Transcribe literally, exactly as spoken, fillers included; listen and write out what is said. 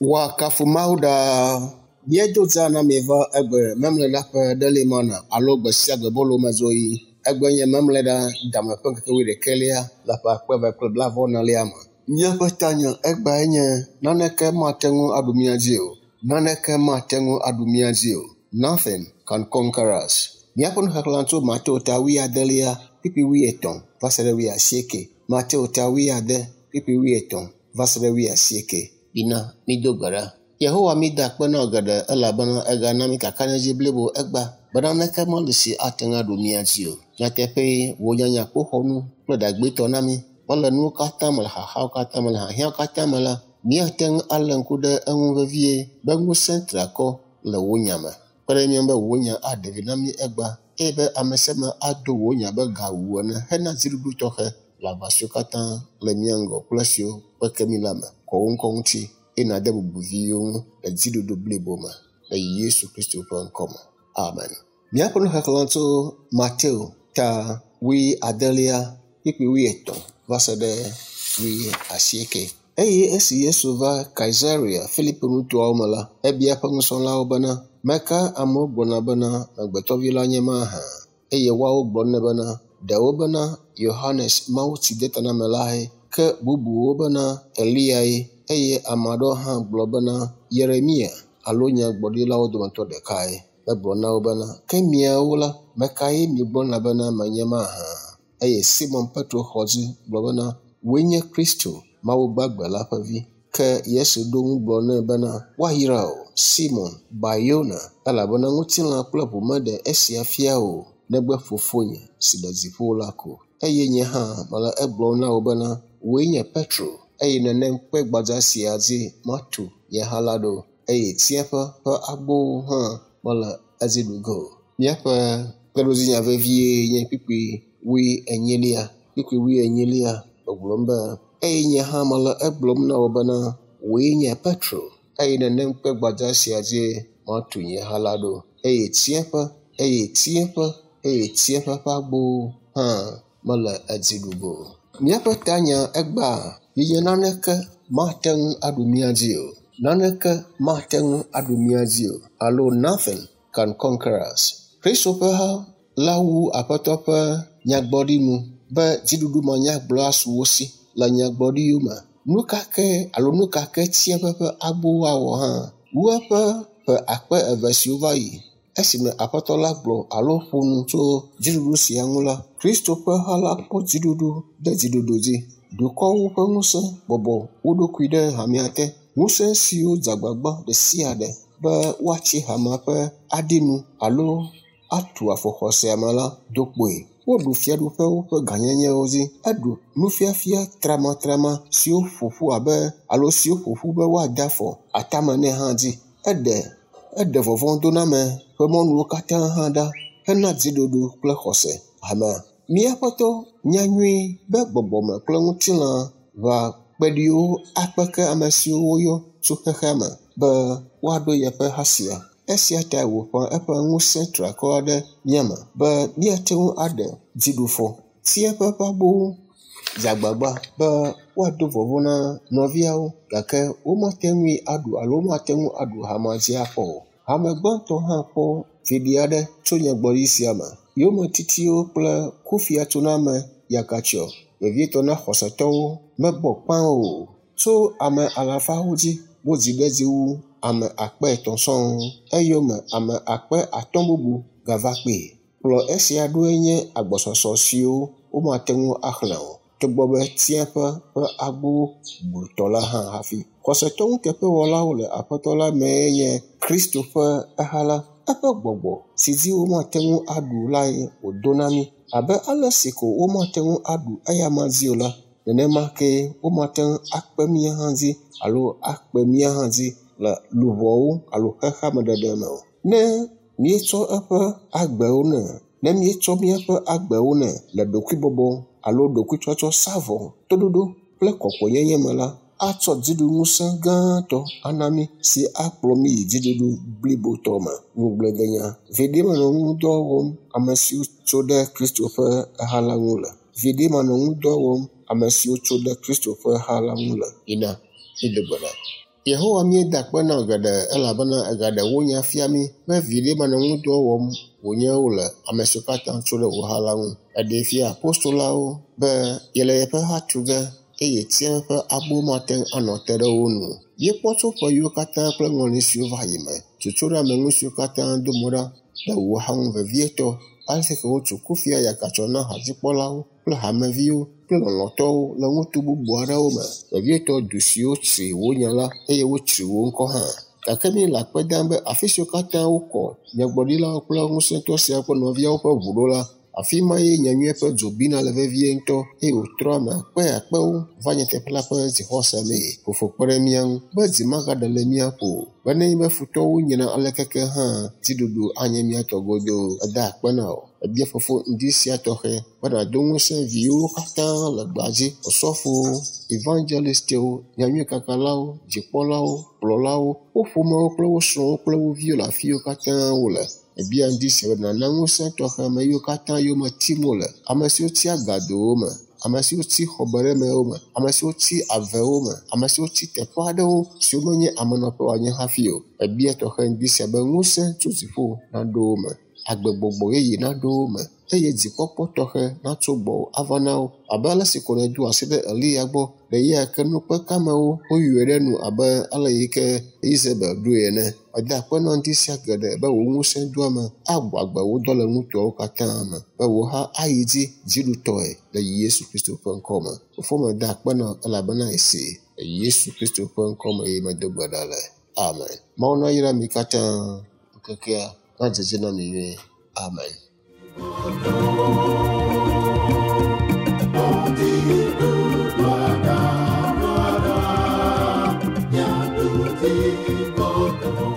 Woakafu Mawu ɖaa. Míedo dza na mi va egbe memleɖa ƒe ɖeli mana alo gbe sia gbe bolo mezoyi. Egbe nye memleɖa dame ƒe ŋkeke wuiɖekɛlia le ƒe akpe eve kple blaeve-vɔ-enelia me. Míaƒe tanya egbae nye naneke mate ŋu aɖu mía dzi o. Naneke mate ŋu aɖu mía dzi o. Nothing can conquer us. Míaƒe nuxexlẽ tso Mateo ta wuiadelia kpukpui wuietɔ̃ va se ɖe wuiasieke. Mateo ta wuiade kpukpui wuietɔ̃ va se ɖe wuiasieke. Bina mído gbe ɖa. Yehowa mída akpe na wò geɖe elabena egana mí kakaɖedzi blibo egba be naneke meli si ate ŋu aɖu mía dzi o. Nyateƒee wò nyanya kpoxɔnu kple ɖagbetɔ na mí be le nuwo katã me le xaxawo katã me le hiahiãwo katã me la, míate ŋu alé ŋku ɖe eŋu vevie be ŋusẽ triakɔ le wò nya me. Kpe ɖe mía ŋu be wò nya aɖe vi na mí egba eye be ame sia ame ado wò nya be gawu ene hena dziɖuɖu tɔxɛ le aʋa siwo katã le mía ŋgɔ kple esiwo kpeke mí la me. Kɔ wò ŋkɔ ŋuti eye nàde bubu viwò ŋu le dziɖuɖu blibo me le Yesu Kristo ƒe ŋkɔ me. Amen. Míaƒe nuxexlẽ tso Mateo ta wuiadelia kpukpui wuietɔ̃ va se ɖe wuiasieke. Eye esi Yesu va Kaisarea Filipo nutoawo me la, ebia eƒe nusrɔ̃lawo bena, meka amewo gblɔna bena amegbetɔvi la nye mahã? Eye woawo gblɔ nɛ bena, ɖewo bena Yohanes Mawutsidetanamelae, ke bubuwo bena Eliae, eye ame aɖewo hã gblɔ bena Yeremia alo nyagblɔɖilawo dometɔ ɖekae. Egblɔ na wo bena, ke miawo la, mekae miegblɔna bena menye mahã? Eye Simon Petro xɔ dzi gblɔ bena, wòe nye Kristo, Mawu gbagbe la ƒe vi. Ke Yesu ɖo ŋu gblɔ nɛ bena, woayra wò, Simon Bar-Yona, elabena ŋutilã kple ʋu meɖe esia fia o, negbe Fofonye si le dziƒo la ko. Eye nye hã mele egblɔm na wò bena, wòe nye Petro, eye nenem kpe gbadza sia dzi matu nye ha la ɖo, eye tsiẽƒe ƒe agbowo hã mele edzi ɖu ge o. Míaƒe kpeɖodzinya vevie nye kpukpui wuienyilia. Kpukpui wuienyilia gbɔgblɔm be, eye nye hã mele egblɔm na wò bena, wòe nye Petro, eye nenem kpe gbadza sia dzi matu nye ha la ɖo, eye tsiẽƒe, eye tsiẽƒe, eye tsiẽƒe ƒe agbowo hã mele edzi ɖu ge o. Míaƒe tanya egbea yi nye naneke mate ŋu aɖu mía dzi o. Naneke mate ŋu aɖu mía dzi o. Alo nothing can conquer us. Kristo ƒe ha la wu Aƒetɔ ƒe nyagblɔɖi nu be dziɖuɖu manyagblɔ asu wo si le nyagblɔɖiwo me. Nu ka ke alo nu ka ke tsiẽƒe ƒe agbowo awɔ hã wu eƒe ƒe akpe eve siwo va yi. Esime Aƒetɔ la gblɔ alo ƒo nu tso dziɖuɖu sia ŋu la, Kristo ƒe ha la kpɔ dziɖuɖu ɖe dziɖuɖu dzi. Dukɔwo ƒe ŋusẽ bɔbɔ wo ɖokui ɖe hamea te. Ŋusẽ siwo dze agbagba ɖe sia ɖe be woatsi hamea ƒe aɖinu alo atu afɔ xɔsea me la do kpoe. Woɖu fiaɖuƒewo ƒe gãnyenyewo dzi. Eɖu nufiafia tramatrama siwo ƒo ƒu abe alo siwo ƒo ƒu be woade afɔ atame nɛ hã dzi. Eɖe eɖe vɔvɔ̃doname ƒe mɔnuwo katã hã ɖa hena dziɖuɖu kple xɔse hamea. Míaƒetɔ nyanyui be gbɔgbɔme kple ŋutilã ʋa kpeɖiwo akpeke ame siwo woyɔ tso xexea me be woaɖo yeƒe ha sia. Esia tae wòƒã eƒe ŋusẽ triakɔ ɖe mía me be míate ŋu aɖe dziɖufɔ. Tsiẽƒe ƒe agbowo dze agbagba be woado vɔvɔ̃ na nɔviawo gake womate ŋui aɖu alo womate ŋu aɖu hamea dzi akpɔ o. Hame gbãtɔ hã kpɔ viɖe aɖe tso nyagblɔɖi sia me. Yometitiwo kple kufiatsoname yakatsyɔ, vevietɔ na xɔsetɔwo mebɔ kpã o. Tso ame alafawo dzi wodzi ɖe edzi wu ame akpe etɔ̃ sɔŋ. Eyome ame akpe atɔ̃ bubu gava kpee. Kplɔ esia ɖoe nye agbɔsɔsɔ siwo womate ŋu axlẽ o, togbɔ be tsiẽƒe ƒe agbowo blutɔ la hã hafi. Xɔsetɔ nuteƒewɔlawo le Aƒetɔ la mee nye Kristo ƒe eha la. Eƒe gbɔgbɔ si dzi womate ŋu aɖu lae wòdo na mí. Abe ale si ko womate ŋu aɖu eyama dzi o la, nenema kee womate ŋu akpe mía hã dzi alo akpe mía hã dzi le luʋɔwo alo xexeame ɖeɖe me o. Ne míetsɔ eƒe agbewo nɛ, ne míetsɔ míaƒe agbewo nɛ le ɖokuibɔbɔ alo ɖokuitsɔtsɔ sa vɔ, toɖoɖo kple kɔkɔenyenye me la, Atsɔ dziɖuŋusẽ gãtɔ ana mí si akplɔ mí yi dziɖuɖu blibotɔ me. Ŋugbledenya. Viɖe manɔ ŋudɔ wɔm ame siwo tso ɖe Kristo ƒe ha la ŋu le. Viɖe manɔ ŋudɔ wɔm ame siwo tso ɖe Kristo ƒe ha la ŋu le. Yina mído gbe ɖa. Yehowa míeda akpe na wò geɖe elabena ègaɖe wò nya fia mí be viɖe manɔ ŋudɔ wɔm wònye wole ame siwo katã tso ɖe wò ha la ŋu. Eɖee fia apostolawo be yele yeƒe ha tu ge eye tia ƒe agbo mate ŋu anɔ te ɖe wo nu. Míekpɔ tso ƒe yiwo katã kple ŋɔli siwo va yi me, tsotso ɖe ame ŋu siwo katã do mo ɖa le wò ha ŋu vevietɔ ale si ke wotso kufia yakatsɔ na hadzikpɔlawo kple hameviwo kple lɔlɔ̃tɔwo le ŋutu bubu aɖewo me, vevietɔ du siwo tsri wò nya la eye wotsri wò ŋkɔ hã. Gake míele akpe dam be afi siwo katã wokɔ nyagblɔɖilawo kple ŋusẽtɔ siawo kple nɔviawo ƒe ʋu ɖo la, afi ma ye nyanyui ƒe dzo bina le vevie ŋutɔ eye wòtrɔ ame akpe akpewo va nyateƒe la ƒe dzixɔse mee. Fofo kpe ɖe mía ŋu be dzi magaɖe le mía ƒo o, be nenye be futɔwo nyina alekeke hã dziɖuɖu anye mía tɔ godoo. Eda akpe na wò. Ebia fofo ŋdi sia tɔxɛ be nàdo ŋusẽ viwo katã le gbeadzi, osɔfowo, evangelistiwo, nyanyuikakalawo, dzikpɔlawo, kplɔlawo, wo ƒomewo kple wo srɔ̃wo kple wo viwo le afi yiwo katã wole. Ebia ŋdi sia be nàna ŋusẽ tɔxɛ ame yiwo katã yome tim wole, ame siwo tsi agadowo me, ame siwo tsi xɔbeɖemewo me, ame siwo tsi avewo me, ame siwo tsi teƒe aɖewo siwo menye amenɔƒe woanye hafi o. Ebia tɔxɛ ŋdi sia be ŋusẽ tso dziƒo naɖo wo me, agbegbɔgbɔ yeye naɖo wo me eye dzikpɔkpɔ tɔxɛ natso gbɔwò ava na wo abe ale si ko nèdo asi ɖe Eliya gbɔ le ɣeyiɣi ke nukpekamewo woyɔe ɖe nu abe ale yi ke Izebel ɖoe ene. Eda akpe na ŋdi sia geɖe be wò ŋusẽdoame agbɔ agbe wò dɔ le ŋutoawo katã me be wò ha ayi dzi dziɖutɔe le Yesu Kristo ƒe ŋkɔ me. Fofo meda akpe na wò elabena èsee le Yesu Kristo ƒe ŋkɔ me eye medo gbe ɖa le. Amen. Mawu nayra mi katã ŋkekea nadze edzi na mi nyuie. Amen. Gloire, gloire, gloire,